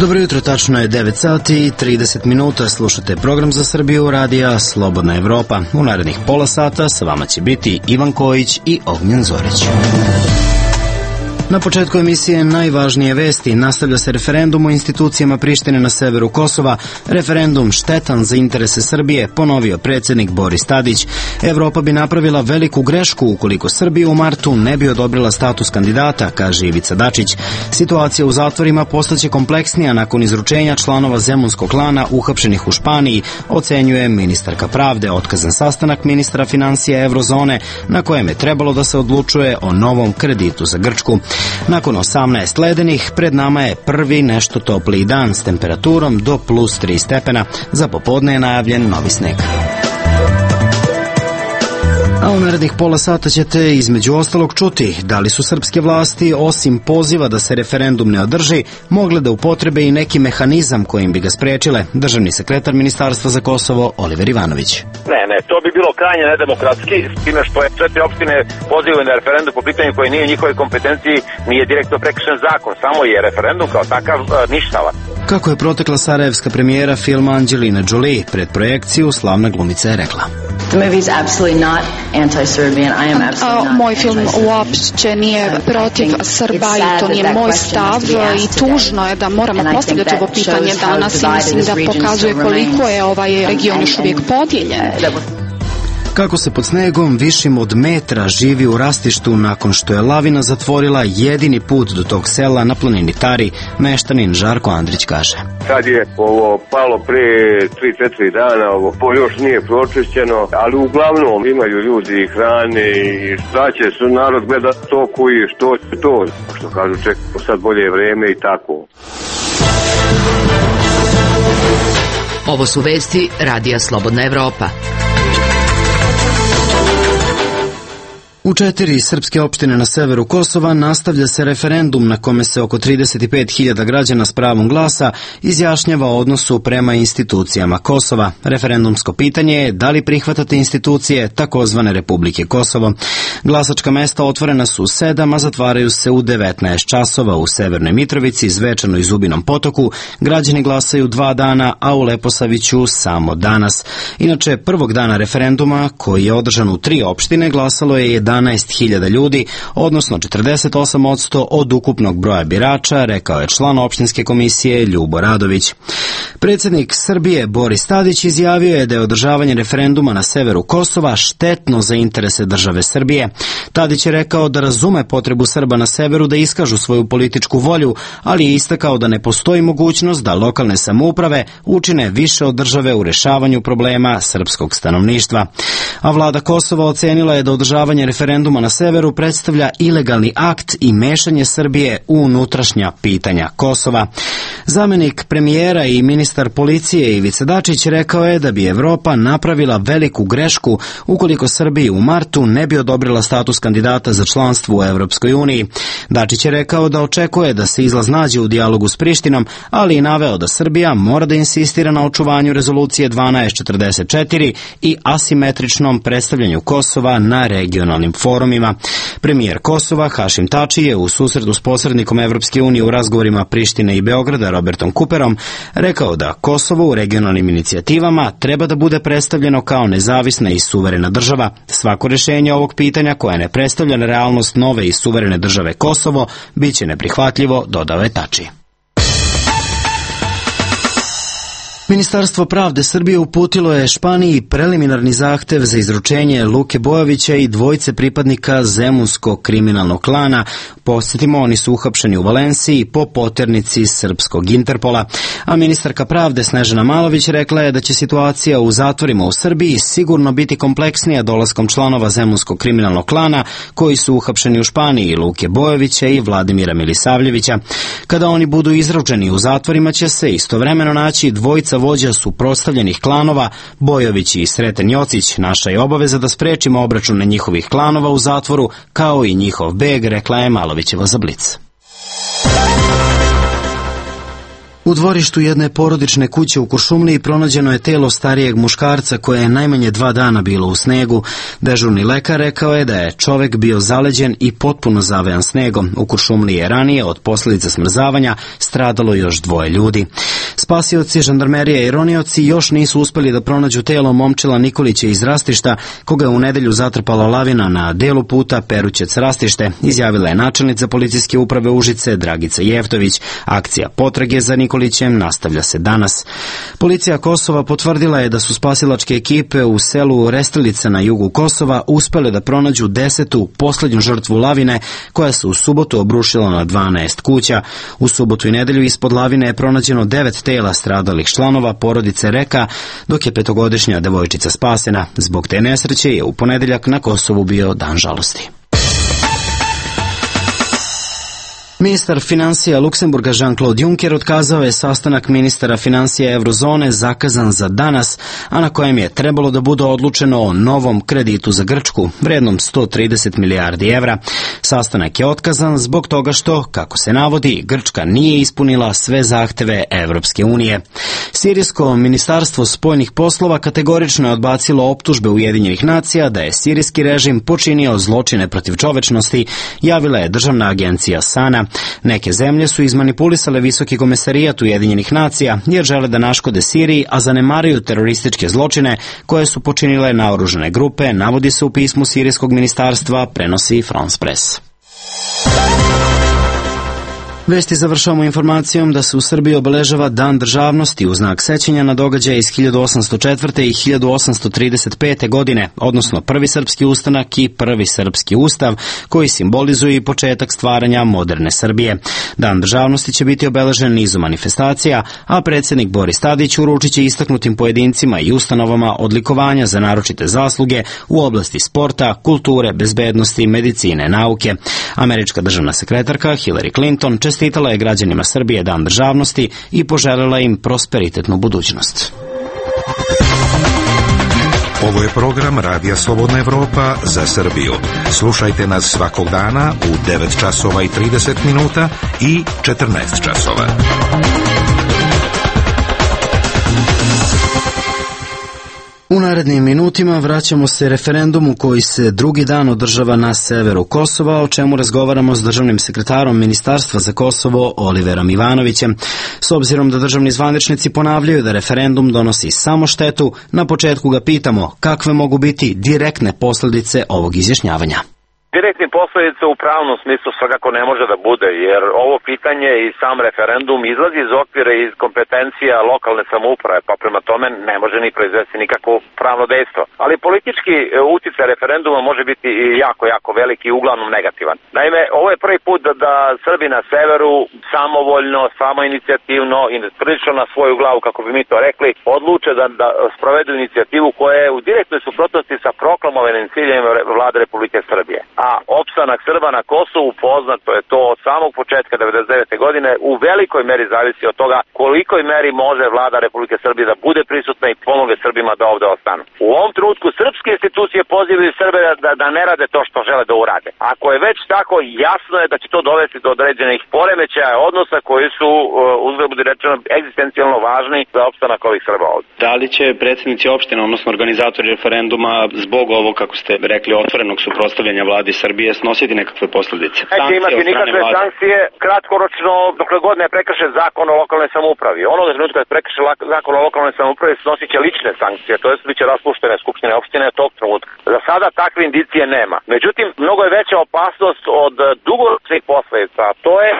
Dobro jutro, tačno je 9 sati i 30 minuta. Slušate program za Srbiju radija Slobodna Evropa. U narednih pola sata sa vama će biti Ivan Kojić i Ognjen Zorić. Na početku emisije najvažnije vesti. Nastavlja se referendum o institucijama Prištine na severu Kosova. Referendum štetan za interese Srbije, ponovio predsjednik Boris Tadić. Evropa bi napravila veliku grešku ukoliko Srbija u martu ne bi odobrila status kandidata, kaže Ivica Dačić. Situacija u zatvorima postaće kompleksnija nakon izručenja članova zemunskog klana uhapšenih u Španiji, ocenjuje ministarka pravde. Otkazan sastanak ministra financija Evrozone na kojem je trebalo da se odlučuje o novom kreditu za Grčku. Nakon 18 ledenih, pred nama je prvi nešto topliji dan s temperaturom do plus 3 stepena. Za popodne je najavljen novi sneg. A u narednih pola sata ćete između ostalog čuti da li su srpske vlasti, osim poziva da se referendum ne održi, mogle da upotrebe i neki mehanizam kojim bi ga sprečile. Državni sekretar Ministarstva za Kosovo Oliver Ivanović. Ne, to bi bilo krajnje nedemokratski, s time što je 4 opštine pozivaju na referendum po pitanju koje nije u njihovoj kompetenciji, nije direktno prekršen zakon, samo je referendum kao takav ništavan. Kako je protekla sarajevska premijera filma Angelina Jolie, pred projekciju slavna glumica je rekla: Moj film uopće nije protiv Srba i to nije moj stav i tužno je da moramo postavljati ovo pitanje danas i mislim da pokazuje koliko je ovaj region još uvijek podijeljen. Kako se pod snegom višim od metra živi u rastištu nakon što je lavina zatvorila jedini put do tog sela na planini Tari, meštanin Žarko Andrić kaže: Sad je ovo palo pre 3-4 dana, ovo još nije pročišćeno, ali uglavnom imaju ljudi i hrane i šta će su narod gleda to koji što će to, što kažu čekamo sad bolje vreme i tako. Ovo su vesti Radija Slobodna Evropa. U 4 srpske opštine na severu Kosova nastavlja se referendum na kome se oko 35.000 građana s pravom glasa izjašnjava o odnosu prema institucijama Kosova. Referendumsko pitanje je da li prihvatate institucije takozvane Republike Kosovo. Glasačka mesta otvorena su u 7, a zatvaraju se u 19 časova u Severnoj Mitrovici, Zvečanu i Zubinom Potoku. Građani glasaju 2 dana, a u Leposaviću samo danas. Inače, prvog dana referenduma, koji je održan u 3 opštine, glasalo je 11.000 ljudi, odnosno 48% od ukupnog broja birača, rekao je član opštinske komisije Ljubo Radović. Predsjednik Srbije Boris Tadić izjavio je da je održavanje referenduma na severu Kosova štetno za interese države Srbije. Tadić je rekao da razume potrebu Srba na severu da iskažu svoju političku volju, ali je istakao da ne postoji mogućnost da lokalne samouprave učine više od države u rešavanju problema srpskog stanovništva. A vlada Kosova ocenila je da održavanje referenduma na severu predstavlja ilegalni akt i mešanje Srbije u unutrašnja pitanja Kosova. Zamenik premijera i ministar policije Ivica Dačić rekao je da bi Evropa napravila veliku grešku ukoliko Srbiji u martu ne bi odobrila status kandidata za članstvo u Evropskoj uniji. Dačić je rekao da očekuje da se izlaz nađe u dijalogu s Prištinom, ali i naveo da Srbija mora da insistira na očuvanju rezolucije 1244 i asimetričnom predstavljanju Kosova na regionalnim forumima. Premijer Kosova Hašim Tači je u susretu s posrednikom Evropske unije u razgovorima Prištine i Beograda Robertom Cooperom rekao da Kosovo u regionalnim inicijativama treba da bude predstavljeno kao nezavisna i suverena država. Svako rješenje ovog pitanja koje ne predstavlja realnost nove i suverene države Kosovo biće neprihvatljivo, dodao je Tači. Ministarstvo pravde Srbije uputilo je Španiji preliminarni zahtev za izručenje Luke Bojovića i 2 pripadnika zemunskog kriminalnog klana. Podsjetimo, oni su uhapšeni u Valenciji po poternici srpskog Interpola. A ministarka pravde Snežana Malović rekla je da će situacija u zatvorima u Srbiji sigurno biti kompleksnija dolaskom članova zemunskog kriminalnog klana koji su uhapšeni u Španiji, Luke Bojovića i Vladimira Milisavljevića. Kada oni budu izručeni u zatvorima će se istovremeno naći 2 vođa suprotstavljenih klanova, Bojović i Sreten Jocić. Naša je obaveza da sprečimo obračune njihovih klanova u zatvoru, kao i njihov beg, rekla je Malovićeva za Blic. U dvorištu jedne porodične kuće u Kuršumliji pronađeno je telo starijeg muškarca koje je najmanje 2 dana bilo u snegu. Dežurni lekar rekao je da je čovek bio zaleđen i potpuno zavejan snegom. U Kuršumliji je ranije od posljedica smrzavanja stradalo još 2 ljudi. Spasioci, žandarmerije i ronioci još nisu uspeli da pronađu telo Momčila Nikolića iz Rastišta, koga je u nedelju zatrpala lavina na delu puta Perućec-Rastište, izjavila je načelnica policijske uprave Užice Dragica Jeftović. Akcija potrage za Nikolićem nastavlja se danas. Policija Kosova potvrdila je da su spasilačke ekipe u selu Restilica na jugu Kosova uspele da pronađu 10. poslednju žrtvu lavine koja se u subotu obrušila na 12 kuća. U subotu i nedelju ispod lavine je pronađeno 9 tela stradalih članova porodice Reka, dok je 5-godišnja devojčica spasena. Zbog te nesreće je u ponedeljak na Kosovu bio dan žalosti. Ministar finansija Luksemburga Jean-Claude Juncker otkazao je sastanak ministara finansija Eurozone zakazan za danas, a na kojem je trebalo da bude odlučeno o novom kreditu za Grčku, vrednom 130 milijardi evra. Sastanak je otkazan zbog toga što, kako se navodi, Grčka nije ispunila sve zahteve Evropske unije. Sirijsko ministarstvo spoljnih poslova kategorično je odbacilo optužbe Ujedinjenih nacija da je sirijski režim počinio zločine protiv čovečnosti, javila je državna agencija SANA. Neke zemlje su izmanipulisale Visoki komesarijat Ujedinjenih nacija jer žele da naškode Siriji, a zanemaruju terorističke zločine koje su počinile naoružane grupe, navodi se u pismu sirijskog ministarstva, prenosi France Press. Vesti završavamo informacijom da se u Srbiji obeležava Dan državnosti u znak sećanja na događaje iz 1804. i 1835. godine, odnosno prvi srpski ustanak i prvi srpski ustav, koji simbolizuju i početak stvaranja moderne Srbije. Dan državnosti će biti obeležen nizom manifestacija, a predsjednik Boris Tadić uručit će istaknutim pojedincima i ustanovama odlikovanja za naročite zasluge u oblasti sporta, kulture, bezbednosti, medicine, nauke. Američka državna sekretarka Hillary Clinton čestitala je građanima Srbije Dan državnosti i poželjela im prosperitetnu budućnost. Ovo je program Radija Slobodna Evropa za Srbiju. Slušajte nas svakog dana u 9 časova i 30 minuta i 14 časova. U narednim minutima vraćamo se referendumu koji se drugi dan održava na severu Kosova, o čemu razgovaramo s državnim sekretarom Ministarstva za Kosovo Oliverom Ivanovićem. S obzirom da državni zvaničnici ponavljaju da referendum donosi samo štetu, na početku ga pitamo kakve mogu biti direktne posljedice ovog izjašnjavanja. Direktni posledice u pravnom smislu svakako ne može da bude, jer ovo pitanje i sam referendum izlazi iz okvira i iz kompetencija lokalne samouprave, pa prema tome ne može ni proizvesti nikakvo pravno dejstvo. Ali politički uticaj referenduma može biti i jako veliki i uglavnom negativan. Naime, ovo je prvi put da Srbi na severu samovoljno, samoinicijativno i prilično na svoju glavu, kako bi mi to rekli, odluče da sprovedu inicijativu koja je u direktnoj suprotnosti sa proklamovanim ciljevima vlade Republike Srbije. A opstanak Srba na Kosovu, poznato je to od samog početka 1999. godine, u velikoj meri zavisi od toga kolikoj meri može vlada Republike Srbije da bude prisutna i pomogne Srbima da ovde ostanu. U ovom trenutku srpske institucije pozivaju Srbe da ne rade to što žele da urade. Ako je već tako, jasno je da će to dovesti do određenih poremećaja odnosa koji su, uzgled budi rečeno, egzistencijalno važni za opstanak ovih Srba ovde. Da li će predsjednici opština, odnosno organizatori referenduma, zbog ovog, kako ste rekli, otvorenog suprotstavljanja vladi Srbije snositi nekakve posljedice? Neće imati nikakve sankcije, kratkoročno, dokle god ne prekrše zakon o lokalnoj samoupravi. Onoga trenutka kad prekrše zakon o lokalnoj samoupravi snosit će lične sankcije, to jest biće raspuštene skupštine opštine tog trenutka. Za sada takve indicije nema. Međutim, mnogo je veća opasnost od dugoročnih posledica. To je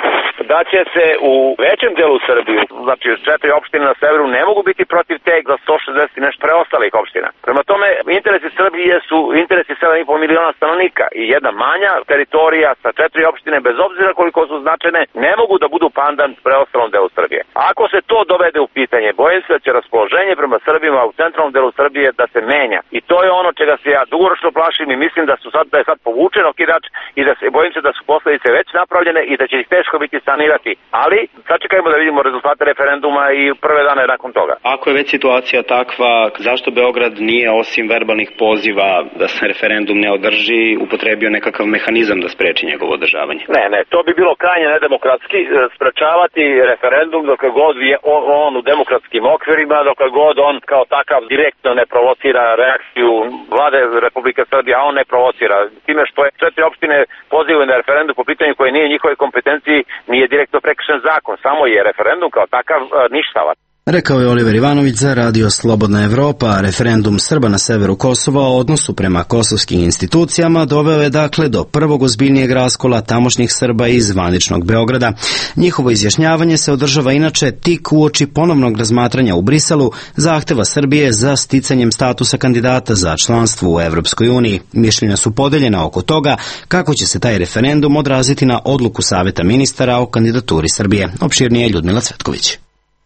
da će se u većem delu Srbije, znači 4 opštine na severu, ne mogu biti protiv teg za 160 i nešto preostalih opština. Prema tome, interesi Srbije su interesi 7,5 miliona stanovnika i jedna manja teritorija sa 4 opštine, bez obzira koliko su značajne, ne mogu da budu pandan preostalom delu Srbije. Ako se to dovede dovede u pitanje. Bojim se da će raspoloženje prema Srbima u centralnom delu Srbije da se menja. I to je ono čega se ja dugoročno plašim i mislim da je sad povučen okidač i da bojim se da su posledice već napravljene i da će ih teško biti sanirati. Ali sačekajmo da vidimo rezultate referenduma i prve dane nakon toga. Ako je već situacija takva, zašto Beograd nije osim verbalnih poziva da se referendum ne održi upotrebio nekakav mehanizam da spreči njegovo održavanje? Ne, to bi bilo krajnje nedemokratski sprečavati referendum dok god je on u demokratskim okvirima, dok god on kao takav direktno ne provocira reakciju vlade Republike Srbije, a on ne provocira. Time što je 4 opštine pozivaju na referendum po pitanju koje nije njihove kompetenciji, nije direktno prekršen zakon, samo je referendum kao takav ništavan. Rekao je Oliver Ivanović za Radio Slobodna Evropa. Referendum Srba na severu Kosova o odnosu prema kosovskim institucijama doveo je dakle do prvog ozbiljnijeg raskola tamošnjih Srba iz zvaničnog Beograda. Njihovo izjašnjavanje se održava inače tik uoči ponovnog razmatranja u Briselu zahteva Srbije za sticanjem statusa kandidata za članstvo u Evropskoj uniji. Mišljenja su podeljena oko toga kako će se taj referendum odraziti na odluku Saveta ministara o kandidaturi Srbije. Opširnije Ljudmila Cvetković.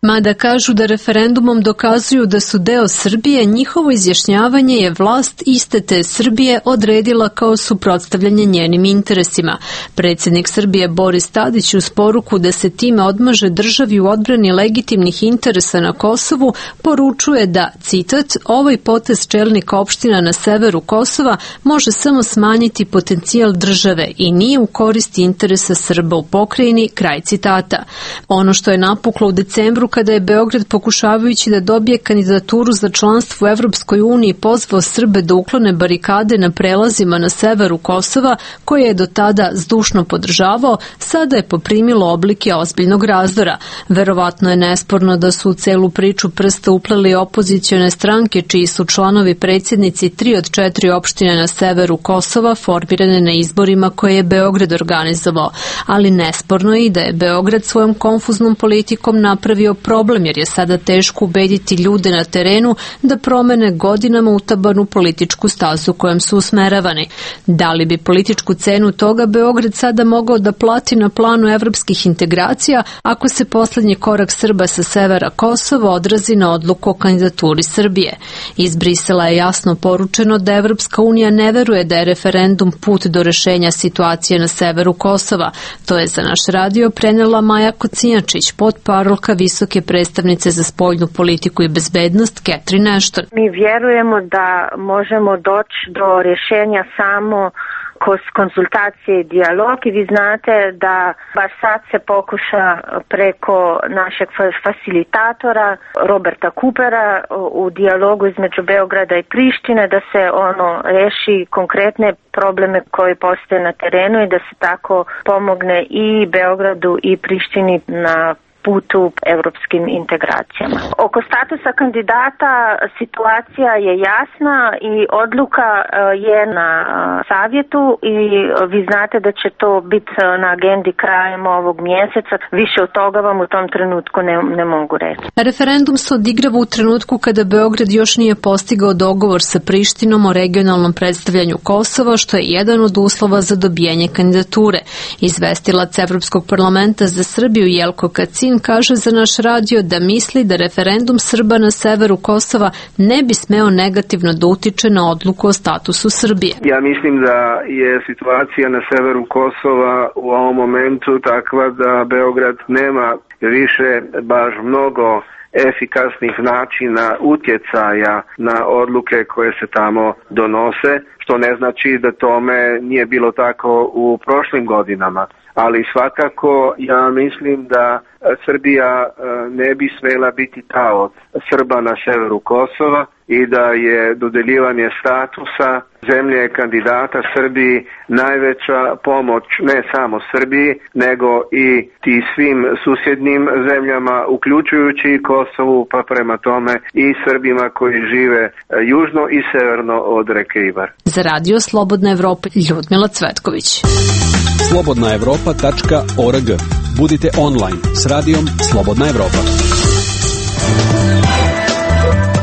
Mada kažu da referendumom dokazuju da su deo Srbije, njihovo izjašnjavanje je vlast iste te Srbije odredila kao suprotstavljanje njenim interesima. Predsjednik Srbije Boris Tadić uz poruku da se time odmaže državi u odbrani legitimnih interesa na Kosovu poručuje da, citat, ovaj potez čelnika opština na severu Kosova može samo smanjiti potencijal države i nije u korist interesa Srba u pokrajini, kraj citata. Ono što je napuklo u decembru kada je Beograd pokušavajući da dobije kandidaturu za članstvo u Evropskoj uniji pozvao Srbe da uklone barikade na prelazima na severu Kosova, koje je do tada zdušno podržavao, sada je poprimilo oblike ozbiljnog razdora. Verovatno je nesporno da su u celu priču prsta upleli opozicione stranke, čiji su članovi predsjednici 3 od 4 opštine na severu Kosova formirane na izborima koje je Beograd organizovao. Ali nesporno je i da je Beograd svojom konfuznom politikom napravio problem, jer je sada teško ubediti ljude na terenu da promene godinama utabanu političku stazu kojom su usmeravani. Da li bi političku cenu toga Beograd sada mogao da plati na planu evropskih integracija ako se poslednji korak Srba sa severa Kosova odrazi na odluku o kandidaturi Srbije? Iz Brisela je jasno poručeno da Evropska unija ne veruje da je referendum put do rešenja situacije na severu Kosova. To je za naš radio prenela Maja Kocijačić, potparolka visoke predstavnice za spoljnu politiku i bezbednost Catherine Ashton. Mi vjerujemo da možemo doći do rješenja samo kroz konzultacije i dijalog i vi znate da baš sad se pokuša preko našeg facilitatora Roberta Coopera u dijalogu između Beograda i Prištine da se reši konkretne probleme koje postoje na terenu i da se tako pomogne i Beogradu i Prištini na putu evropskim integracijama. Oko statusa kandidata situacija je jasna i odluka je na savjetu i vi znate da će to biti na agendi krajem ovog mjeseca. Više od toga vam u tom trenutku ne mogu reći. Referendum se odigrava u trenutku kada Beograd još nije postigao dogovor sa Prištinom o regionalnom predstavljanju Kosova, što je jedan od uslova za dobijanje kandidature. Izvestilac Evropskog parlamenta za Srbiju Jelko Kacin kaže za naš radio da misli da referendum Srba na severu Kosova ne bi smeo negativno da utiče na odluku o statusu Srbije. Ja mislim da je situacija na severu Kosova u ovom momentu takva da Beograd nema više baš mnogo efikasnih načina utjecaja na odluke koje se tamo donose, što ne znači da tome nije bilo tako u prošlim godinama. Ali svakako ja mislim da Srbija ne bi smjela biti taoc Srba na severu Kosova i da je dodeljivanje statusa zemlje kandidata Srbiji najveća pomoć ne samo Srbiji, nego i ti svim susjednim zemljama, uključujući i Kosovu, pa prema tome i Srbima koji žive južno i severno od reke Ibar. Za Radio Slobodna Evropa, Ljudmila Cvetković. slobodnaevropa.org. Budite online s radijom Slobodna Evropa.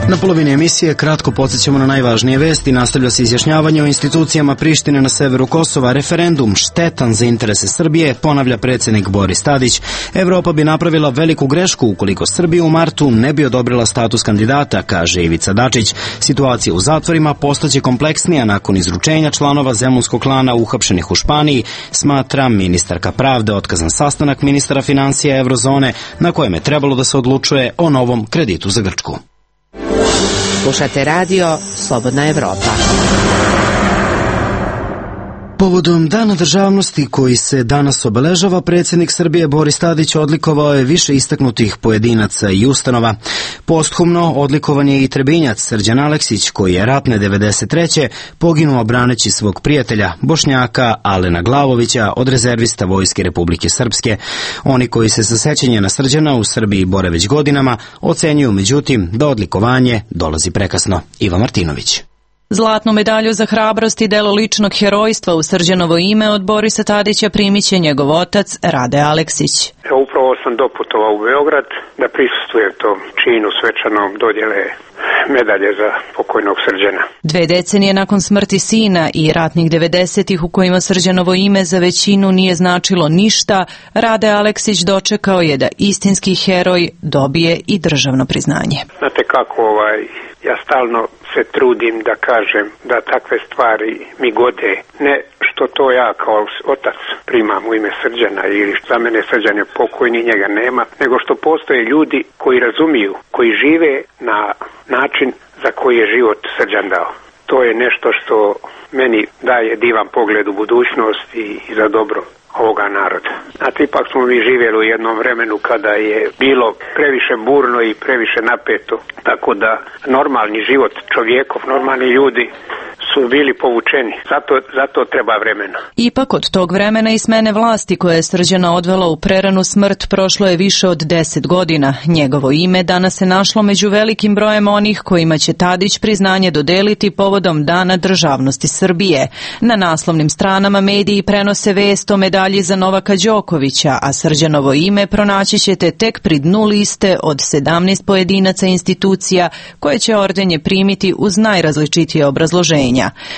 Na polovini emisije kratko podsjećamo na najvažnije vesti. Nastavlja se izjašnjavanje o institucijama Prištine na severu Kosova. Referendum štetan za interese Srbije, ponavlja predsjednik Boris Tadić. Evropa bi napravila veliku grešku ukoliko Srbija u martu ne bi odobrila status kandidata, kaže Ivica Dačić. Situacija u zatvorima postaće kompleksnija nakon izručenja članova zemunskog klana uhapšenih u Španiji, smatra ministarka pravde. Otkazan sastanak ministara financija Evrozone na kojem je trebalo da se odlučuje o novom kreditu za Grčku. Slušate radio Slobodna Evropa. Povodom Dana državnosti koji se danas obeležava, predsjednik Srbije Boris Tadić odlikovao je više istaknutih pojedinaca i ustanova. Posthumno odlikovan je i Trebinjac Srđan Aleksić, koji je ratne 93. poginuo braneći svog prijatelja, Bošnjaka Alena Glavovića, od rezervista Vojske Republike Srpske. Oni koji se sa sećanja na Srđana u Srbiji bore već godinama, ocenjuju međutim da odlikovanje dolazi prekasno. Iva Martinović. Zlatnu medalju za hrabrost i delo ličnog herojstva u Srđanovo ime od Borisa Tadića primiće njegov otac Rade Aleksić. Upravo sam doputovao u Beograd da prisustvujem tom činu svečanom dodjele medalje za pokojnog Srđana. 2 decenije nakon smrti sina i ratnih 90-ih u kojima Srđanovo ime za većinu nije značilo ništa, Rade Aleksić dočekao je da istinski heroj dobije i državno priznanje. Znate kako, ja stalno se trudim da kažem da takve stvari mi gode, ne što to ja kao otac primam u ime Srđana ili za mene Srđan je pokojni, njega nema, nego što postoje ljudi koji razumiju, koji žive na način za koji je život Srđan dao. To je nešto što meni daje divan pogled u budućnost i za dobro ovoga naroda. Znate, ipak smo mi živjeli u jednom vremenu kada je bilo previše burno i previše napeto, tako da normalni život čovjekov, normalni ljudi su bili povučeni. Zato treba vremena. Ipak od tog vremena i smene vlasti koja je Srđana odvela u preranu smrt prošlo je više od 10 godina. Njegovo ime danas se našlo među velikim brojem onih kojima će Tadić priznanje dodeliti povodom Dana državnosti Srbije. Na naslovnim stranama mediji prenose vest o medalji za Novaka Đokovića, a Srđanovo ime pronaći ćete tek pri dnu liste od 17 pojedinaca institucija koje će ordenje primiti uz najrazličitije obrazloženja.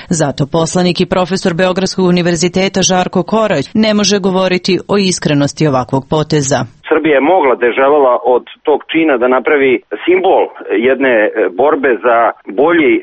Zato poslanik i profesor Beogradskog univerziteta Žarko Korać ne može govoriti o iskrenosti ovakvog poteza. Srbija je mogla da je želela od tog čina da napravi simbol jedne borbe za bolji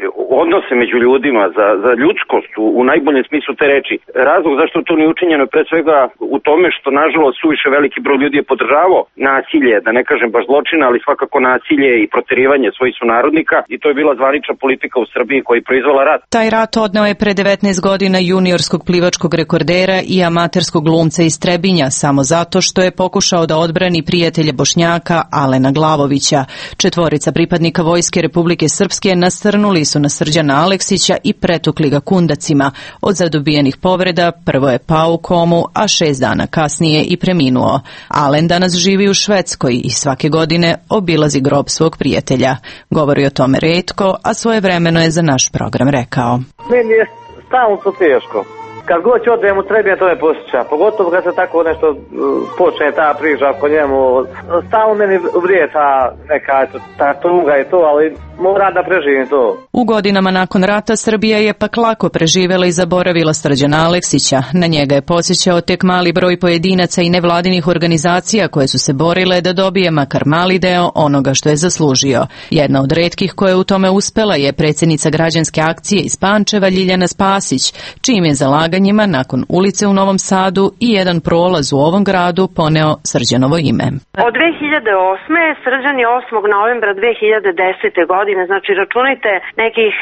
odnose među ljudima, za ljudskost u najboljem smislu te reči. Razlog zašto to nije učinjeno pre svega u tome što nažalost suviše veliki broj ljudi je podržavao nasilje, da ne kažem baš zločina, ali svakako nasilje i proterivanje svojih sunarodnika i to je bila zvanična politika u Srbiji koja je proizvela rat. Taj rat odneo je pre 19 godina juniorskog plivačkog rekordera i amaterskog glumca iz Trebinja samo zato što je pokušao da odbrani prijatelje Bošnjaka Alena Glavovića. 4 pripadnika Vojske Republike Srpske nasrnuli su na Srđana Aleksića i pretukli ga kundacima. Od zadobijenih povreda prvo je pao u komu, a 6 dana kasnije i preminuo. Alen danas živi u Švedskoj i svake godine obilazi grob svog prijatelja. Govori o tome retko, a svojevremeno je za naš program rekao. Meni je stalno to teško. Kad god će odem u Trebinje, to me posjeća. Pogotovo kad se tako nešto počne ta priča po njemu. Stalno meni vrije ta tuga i to, ali moram da preživim to. U godinama nakon rata Srbija je pak lako preživela i zaboravila Srđana Aleksića. Na njega je posjećao tek mali broj pojedinaca i nevladinih organizacija koje su se borile da dobije makar mali deo onoga što je zaslužio. Jedna od retkih koja je u tome uspela je predsjednica građanske akcije iz Pančeva Ljiljana Spasić, čim je zalaganjima nakon ulice u Novom Sadu i jedan prolaz u ovom gradu poneo Srđanovo ime. Od 2008. Srđan je 8. novembra 2010. godine, znači računajte nekih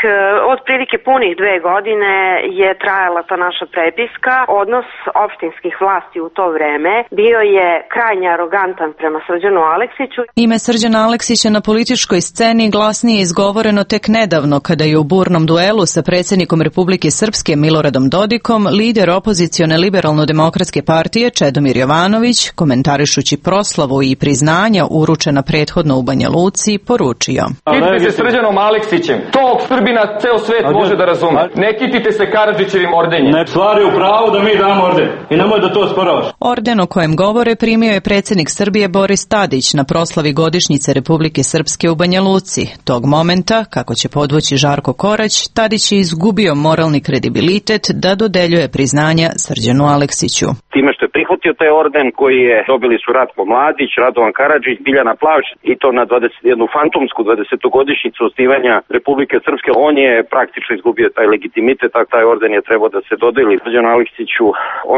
otprilike punih 2 godine je trajala ta naša prepiska. Odnos opštinskih vlasti u to vreme bio je krajnje arogantan prema Srđanu Aleksiću. Ime Srđana Aleksića na političkoj sceni glasnije izgovoreno tek nedavno kada je u burnom duelu sa predsjednikom Republike Srpske Miloradom Dodikom lider opozicione liberalno-demokratske partije Čedomir Jovanović, komentarišući proslavu i priznanja uručena prethodno u Banja Luci, poručio. Najveće Srđanom Aleksićem. Tog Srbina ceo svet može da razume. Ne kitite se Karadžićevim ordenjem. Ne, stvari u pravu da mi damo orden. I nemoj da to sporavaš. Orden o kojem govore primio je predsjednik Srbije Boris Tadić na proslavi godišnjice Republike Srpske u Banja Luci. Tog momenta, kako će podvući Žarko Korać, Tadić je izgubio moralni kredibilitet da dodeljuje priznanja Srđanu Aleksiću. Time što je prihvatio taj orden koji je dobili su Ratko Mladić, Radovan Karadžić, Biljana Plavšić i to na jednu fantomsku 20-godišnjicu osnivanja Republike Srpske, on je praktično izgubio taj legitimitet, a taj orden je trebao da se dodeli Srđanu Aleksiću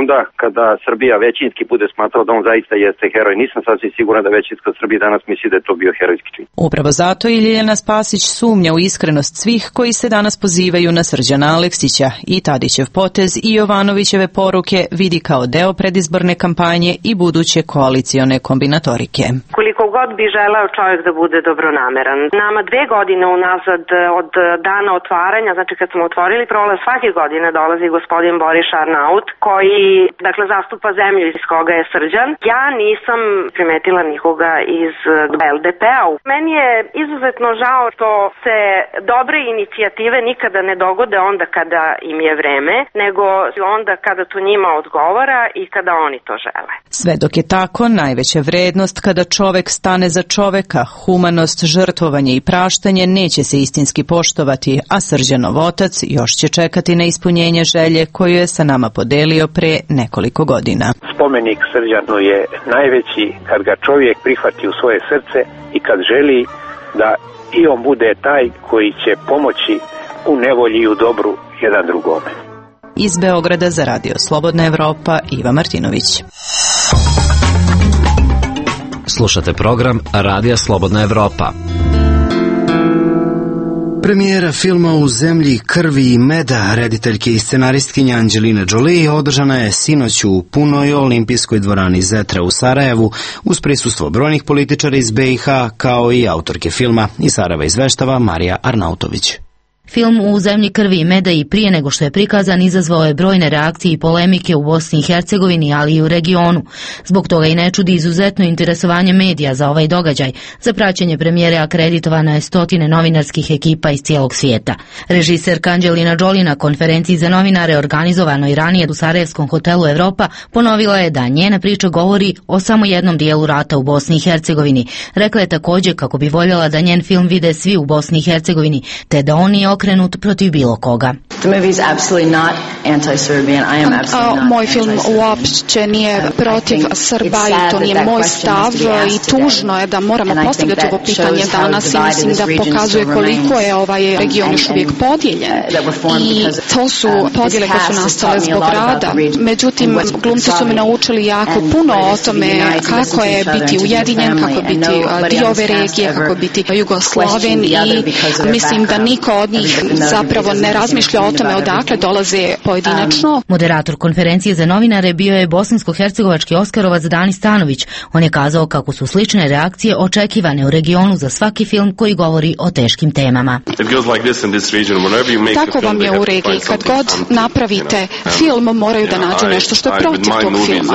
onda kada Srbija većinski bude smatrala da on zaista jeste heroj. Nisam sasvim siguran da većinska Srbija danas misli da je to bio herojski čin. Upravo zato i Ljiljana Spasić sumnja u iskrenost svih koji se danas pozivaju na Srđana Aleksića i Tadićev potez i Jovanovićeve poruke vidi kao deo predizborne kampanje i buduće koalicione kombinatorike. Koliko god bi želeo čovjek da bude dobronameran. Nama 2 godine unazad od dana otvaranja, znači kad smo otvorili prolaz, svake godine dolazi gospodin Boris Arnaut koji, dakle, zastupa zemlju iz koga je Srđan. Ja nisam primetila nikoga iz LDP-a. Meni je izuzetno žao što se dobre inicijative nikada ne dogode onda kada im je vreme, nego onda kada to njima odgovara i kada oni to žele. Sve dok je tako, najveća vrednost kada čovek stane za čoveka, humanost, žrtvovanje i praštanje neće se istinski poštovati, a Srđanov otac još će čekati na ispunjenje želje koju je sa nama podelio pre nekoliko godina. Spomenik Srđanu je najveći kad ga čovjek prihvati u svoje srce i kad želi da i on bude taj koji će pomoći u nevolji i u dobru jedan drugome. Iz Beograda za Radio Slobodna Evropa, Iva Martinović. Slušate program Radija Slobodna Evropa. Premijera filma U zemlji krvi i meda rediteljke i scenaristkinja Angelina Jolie održana je sinoć u punoj olimpijskoj dvorani Zetra u Sarajevu uz prisustvo brojnih političara iz BiH kao i autorke filma. Iz Sarajeva izveštava Marija Arnautović. Film U zemlji krvi i meda i prije nego što je prikazan izazvao je brojne reakcije i polemike u Bosni i Hercegovini, ali i u regionu. Zbog toga i ne čudi izuzetno interesovanje medija za ovaj događaj. Za praćenje premijere akreditovano je 100 novinarskih ekipa iz cijelog svijeta. Režiserka Angelina Jolie na konferenciji za novinare organizovanoj ranije u Sarajevskom hotelu Evropa ponovila je da njena priča govori o samo jednom dijelu rata u Bosni i Hercegovini. Rekla je također kako bi voljela da njen film vide svi u Bosni i Hercegovini, te da on nije okrenut protiv bilo koga. Moj film uopće nije protiv Srba i to nije moj stav i tužno je da moramo postavljati ovo pitanje danas i mislim da pokazuje koliko je ovaj region još uvijek podijeljen i to su podjele koje su nastale zbog rada. Međutim, glumci su me naučili jako puno o tome kako je biti ujedinjen, kako je biti dio ove regije, kako je biti Jugoslaven i mislim da niko od njih zapravo ne razmišlja o tome odakle dolaze pojedinačno. Moderator konferencije za novinare bio je bosansko-hercegovački Oskarovac Dani Stanović. On je kazao kako su slične reakcije očekivane u regionu za svaki film koji govori o teškim temama. Tako vam je u regiji. Kad god napravite film, moraju da nađu nešto što je protiv tog filma.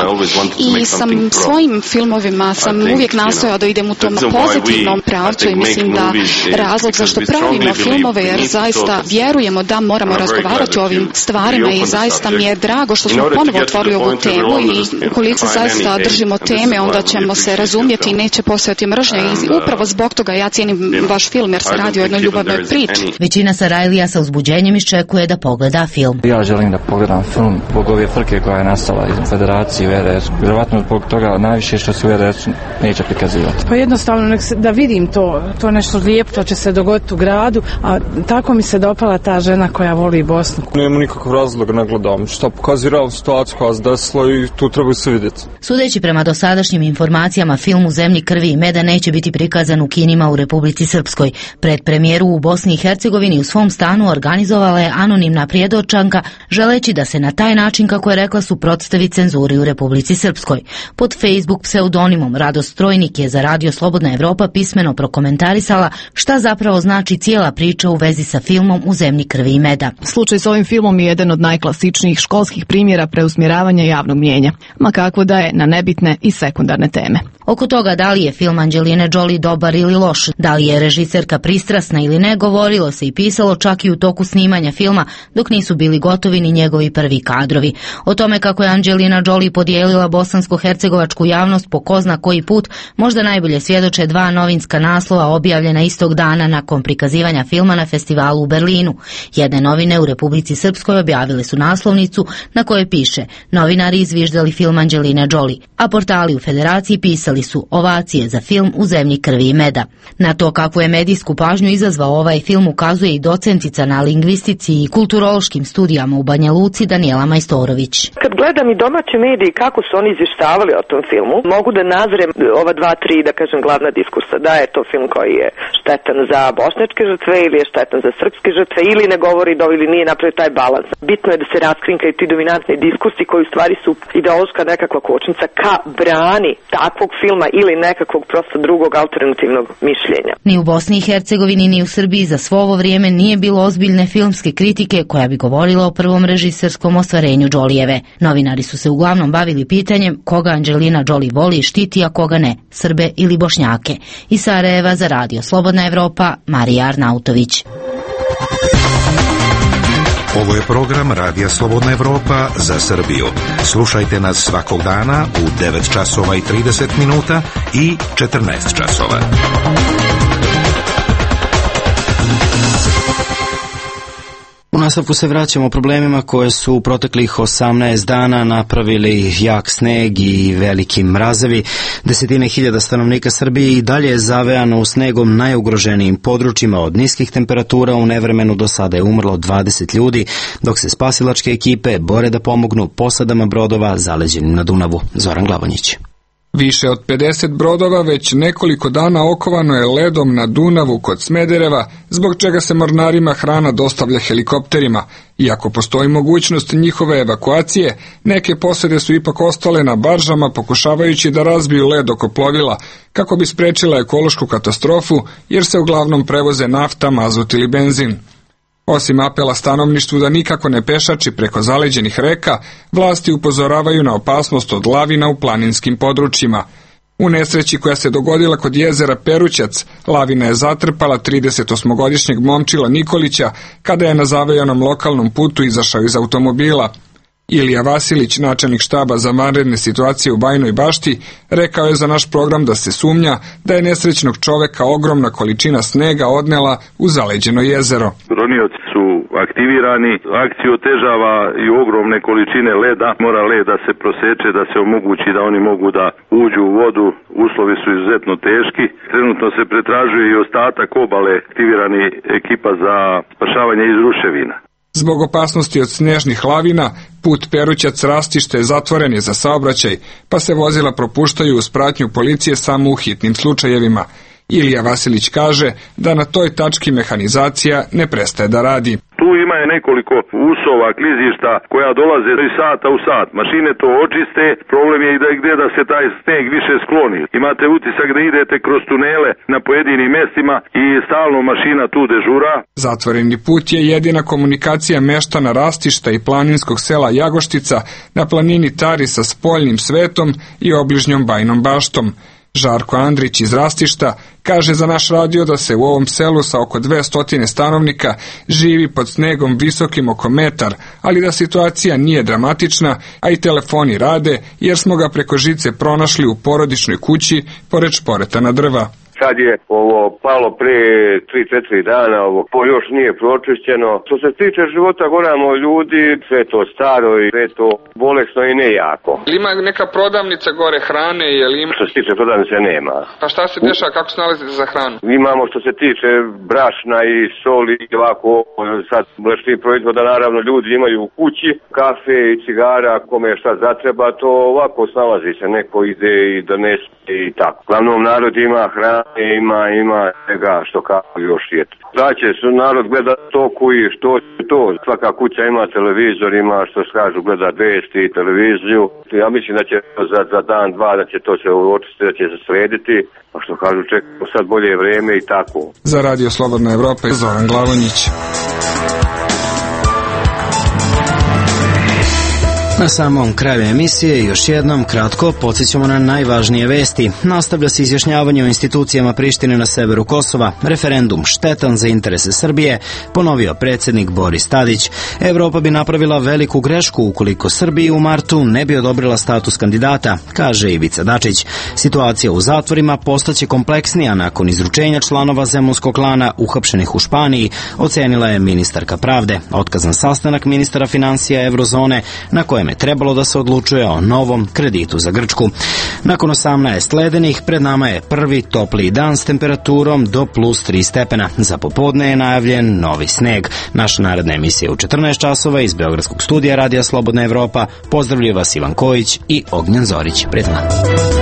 I svojim filmovima sam uvijek nastojao da idem u tom pozitivnom pravcu i mislim da razlog zašto pravimo filmove jer zaista vjerujemo da moramo razgovarati o ovim stvarima i zaista mi je drago što smo ponovo otvorili ovu temu i ukoliko se zaista držimo teme onda ćemo se razumjeti i neće postojati mržnja i upravo zbog toga ja cijenim vaš film jer se radi o jednoj ljubavnoj priči. Većina Sarajlija sa uzbuđenjem iščekuje da pogleda film. Ja želim da pogledam film zbog ove frke koja je nastala iz Federacije u RS. Vjerovatno zbog toga najviše što se u RS neće prikazivati. Pa jednostavno da vidim to nešto lijepo, to će se dogoditi u gradu, a tako mi se dopala ta žena koja voli Bosnu. Nema nikakvog razloga, ne gledam što pokazuje realnu situaciju koja se desila i tu treba se vidjeti. Sudeći prema dosadašnjim informacijama, film U zemlji krvi i meda neće biti prikazan u kinima u Republici Srpskoj. Predpremijeru u Bosni i Hercegovini u svom stanu organizovala je anonimna prijedočanka, želeći da se na taj način, kako je rekla, suprotstavi cenzuri u Republici Srpskoj. Pod Facebook pseudonimom Radost Trojnik je za Radio Slobodna Evropa pismeno prokomentarisala šta zapravo znači cijela priča u vezi sa filmom U zemlji krvi i meda. Slučaj s ovim filmom je jedan od najklasičnijih školskih primjera preusmjeravanja javnog mnijenja, ma kako da je na nebitne i sekundarne teme. Oko toga da li je film Angeline Jolie dobar ili loš, da li je režiserka pristrasna ili ne, govorilo se i pisalo čak i u toku snimanja filma, dok nisu bili gotovi ni njegovi prvi kadrovi. O tome kako je Angelina Jolie podijelila bosansko-hercegovačku javnost po ko zna koji put, možda najbolje svjedoče dva novinska naslova objavljena istog dana nakon prikazivanja filma na festivalu u Berlinu. Jedne novine u Republici Srpskoj objavile su naslovnicu na kojoj piše "Novinari izviždali film Angeline Jolie", a portali u Federaciji pisali su "Ovacije za film u zemlji krvi i meda". Na to kakvu je medijsku pažnju izazvao ovaj film ukazuje i docentica na lingvistici i kulturološkim studijama u Banja Luci Danijela Majstorović. Kad gledam i domaće medije kako su oni izvještavali o tom filmu, mogu da nazrem ova 2-3, da kažem, glavna diskursa. Da je to film koji je štetan za bošnjačke žrtve ili je štetan za srpske žrtve ili ne govori ili nije napravio taj balans. Bitno je da se raskrinkaju ti dominantni diskursi koji u stvari su ideološka nekakva kočnica ka brani takvog filma ili nekakvog prosto drugog alternativnog mišljenja. Ni u Bosni i Hercegovini ni u Srbiji za svo ovo vrijeme nije bilo ozbiljne filmske kritike koja bi govorila o prvom režiserskom ostvarenju Jolijeve. Novinari su se uglavnom bavili pitanjem koga Angelina Jolie voli i štiti, a koga ne, Srbe ili Bošnjake. Iz Sarajeva za Radio Slobodna Evropa, Marija Arnautović. Ovo je program Radija Slobodna Evropa za Srbiju. Slušajte nas svakog dana u 9 časova i 30 minuta i 14 časova. U nastavku se vraćamo problemima koje su u proteklih 18 dana napravili jak sneg i veliki mrazevi. Desetine hiljada stanovnika Srbije i dalje je zavejano u snegom najugroženijim područjima. Od niskih temperatura u nevremenu do sada je umrlo 20 ljudi, dok se spasilačke ekipe bore da pomognu posadama brodova zaleđenim na Dunavu. Zoran Glavonjić. Više od 50 brodova već nekoliko dana okovano je ledom na Dunavu kod Smedereva, zbog čega se mornarima hrana dostavlja helikopterima. Iako postoji mogućnost njihove evakuacije, neke posade su ipak ostale na baržama pokušavajući da razbiju led oko plovila, kako bi sprečila ekološku katastrofu, jer se uglavnom prevoze nafta, mazut ili benzin. Osim apela stanovništvu da nikako ne pešači preko zaleđenih reka, vlasti upozoravaju na opasnost od lavina u planinskim područjima. U nesreći koja se dogodila kod jezera Perućac, lavina je zatrpala 38-godišnjeg momčila Nikolića kada je na zavejanom lokalnom putu izašao iz automobila. Ilija Vasilić, načelnik štaba za vanredne situacije u Bajnoj Bašti, rekao je za naš program da se sumnja da je nesrećnog čoveka ogromna količina snega odnela u zaleđeno jezero. Ronioci su aktivirani, akciju otežava i ogromne količine leda. Mora led da se proseče, da se omogući da oni mogu da uđu u vodu. Uslovi su izuzetno teški. Trenutno se pretražuje i ostatak obale, aktivirani ekipa za spašavanje iz ruševina. Zbog opasnosti od snježnih lavina, put Perućac-Rastište zatvoren je za saobraćaj, pa se vozila propuštaju uz pratnju policije samo u hitnim slučajevima. Ilija Vasilić kaže da na toj tački mehanizacija ne prestaje da radi. Tu ima je nekoliko usova, klizišta koja dolaze iz sata u sat. Mašine to očiste, problem je i da gdje da se taj sneg više skloni. Imate utisak da idete kroz tunele na pojedinim mjestima i stalno mašina tu dežura. Zatvoreni put je jedina komunikacija meštana Rastišta i planinskog sela Jagoštica na planini Tari sa spoljnim svetom i obližnjom Bajnom Baštom. Žarko Andrić iz Rastišta kaže za naš radio da se u ovom selu sa oko 200 stanovnika živi pod snegom visokim oko metar, ali da situacija nije dramatična, a i telefoni rade jer smo ga preko žice pronašli u porodičnoj kući pored šporetana drva. Sad je ovo palo pre 3-4 dana, ovo još nije pročišćeno. Što se tiče života goramo ljudi, sve to staro i sve to bolesno i nejako. Ima neka prodavnica gore hrane, jel ima? Što se tiče prodavnice nema. Pa šta se dešava, kako se nalazite za hranu? Imamo što se tiče brašna i soli i ovako, sad mlečnih proizvoda naravno ljudi imaju u kući, kafe i cigara, kome šta zatreba, to ovako snalazi se, neko ide i donese i tako. Glavnom narod ima hrane, ima svega što kao još je. Znači, narod gleda toku i što je to. Svaka kuća ima televizor, ima što se kažu gleda vesti i televiziju. Ja mislim da će za dan, dva, da će to se očistiti, da će se srediti. A što kažu, čekamo sad bolje vrijeme i tako. Za Radio Slobodna Evropa je Zoran Glavonjić. Na samom kraju emisije još jednom kratko podsjećamo na najvažnije vesti. Nastavlja se izjašnjavanje o institucijama Prištine na severu Kosova, referendum štetan za interese Srbije, ponovio predsjednik Boris Tadić. Evropa bi napravila veliku grešku ukoliko Srbiji u martu ne bi odobrila status kandidata, kaže Ivica Dačić. Situacija u zatvorima postaće kompleksnija nakon izručenja članova zemunskog klana uhapšenih u Španiji, ocenila je ministarka pravde. Otkazan sastanak ministara finansija Eurozone na kojem je trebalo da se odlučuje o novom kreditu za Grčku. Nakon 18 ledenih, pred nama je prvi topliji dan s temperaturom do plus 3 stepena. Za popodne je najavljen novi sneg. Naša naredna emisija u 14 časova iz Beogradskog studija Radija Slobodna Evropa. Pozdravljaju vas Ivan Kojić i Ognjen Zorić. Prijatno.